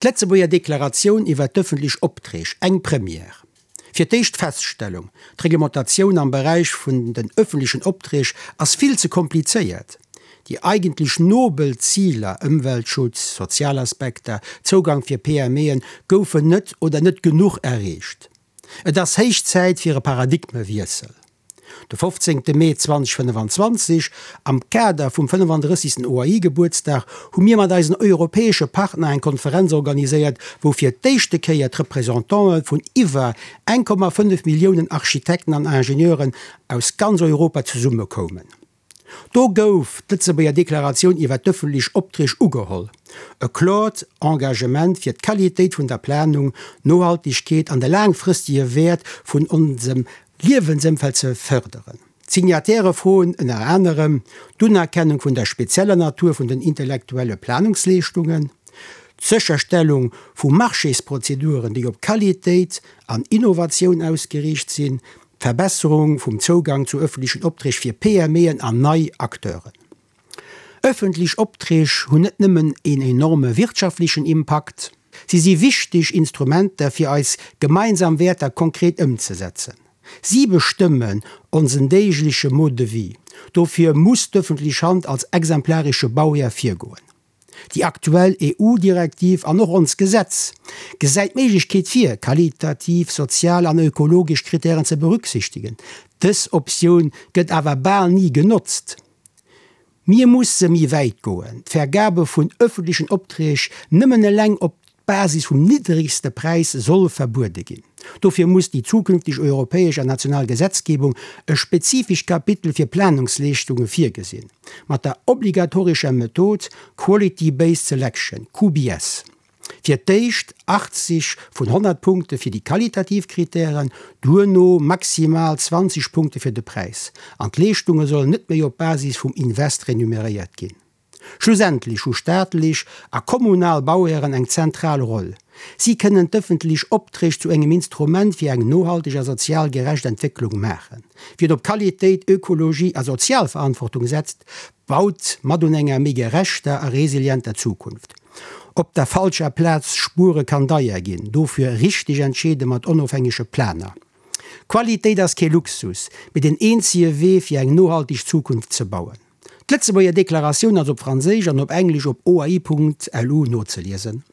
D'Lëtzebuerger Deklaratioun iwwer d'ëffentlech Opträg, eng Première. Fir d'éischt Feststellung, D'Reglementatioun am Beräich vun den ëffentlechen Opträg ass vill ze komplizéiert. Déi eigentlech nobel Ziler, Ëmweltschutz, sozial Aspekter, Zougang fir PMEen, goufen net oder net genuch erreecht. Et ass héich Zäit fir e Paradigmewiessel. De 15 Mee 2025, am Kader vum 35. OAI-Gebuertsdag, hu mir mat eisen europäesche Partner eng Konferenz organiséiert, wou fir d'éischte Kéier d'Representantë vun iwwer 1,5 Milliounen Architekten an Ingenieuren aus ganz Europa zesummekoumen. Do gouf d'Lëtzebuerger Deklaratioun iwwer d'ëffentlech Opträg ugeholl, e kloert Engagement fir d'Qualitéit vun der Planung, d'Nohaltegkeet an de laangfristege Wäert vun onsem Liewensëmfeld ze fërderen. D'Signatairë froen ënner anerem d'Unerkennung vun der spezieller Natur vun den intellektuelle Planungsleeschtungen, d'Sécherstellung vu Marchésprozeduren, déi op Qualitéit an Innovatioun ausgeriicht sinn, D'Verbesserung vum Zougang zu ëffentlechen Opträg fir PMEen an nei Acteuren. Ëffentlech Opträg hunn net nëmmen een enorme wirtschaftlechen Impakt, si si wichteg Instrumenter fir eis gemeinsam Wäerter konkret ëmzesetzen. Si bestëmmen onsen deegleche Mode de vie. Dofir muss d'ëffentlech Hand als exemplaresche Bauhär virgoen. Déi aktuell EU-Direktiv an och ons Gesetz gesäit d'Méiglechkeet vir, qualitativ, sozial an ökologesch Kritären ze berücksichtigen. Dës Optioun gëtt awer bal ni genotzt. Mir musse méi wäit goen, d'Vergabe vun öffentlechen Opträg nëmmen eleng op d'Basis vum niddregste Präis soll verbuede ginn. Dofir muss déi zukünfteg europäesch an national Gesetzgebung e spezifescht Kapitel fir Planungsleeschtunge virgesinn, mat der obligatorescher Method Quality Based Selection, QBS. Fir d'éischt 80 vun 100 Punkte fir déi qualitativ Kritären, duerno maximal 20 Punkte fir de Präis. An d'Leeschtunge sollen net méi op Basis vum Invest renumeréiert ginn. Schlussendlech hu staatlech a kommunal Bauhären eng zentral Roll. Si kënnen d'ëffentlech Opträg zu engem Instrument fir eng nohalteg a sozial gerecht Entwécklung maachen. Wien op Qualitéit, Ökologie a sozial Verantwortung setzt, baut mat un enger méi gerechter a resilienter Zukunft. Op der falscher Plaz spuere kann deier ginn, dofir richteg entscheede mat onofhängege Planer. Qualitéit ass kee Luxus, mee den eenzege Wee fir eng nohalteg Zukunft ze bauen. D'Lëtzebuerger Deklaratioun ass op Franséisch an op Englesch op oai.lu nozeliesen.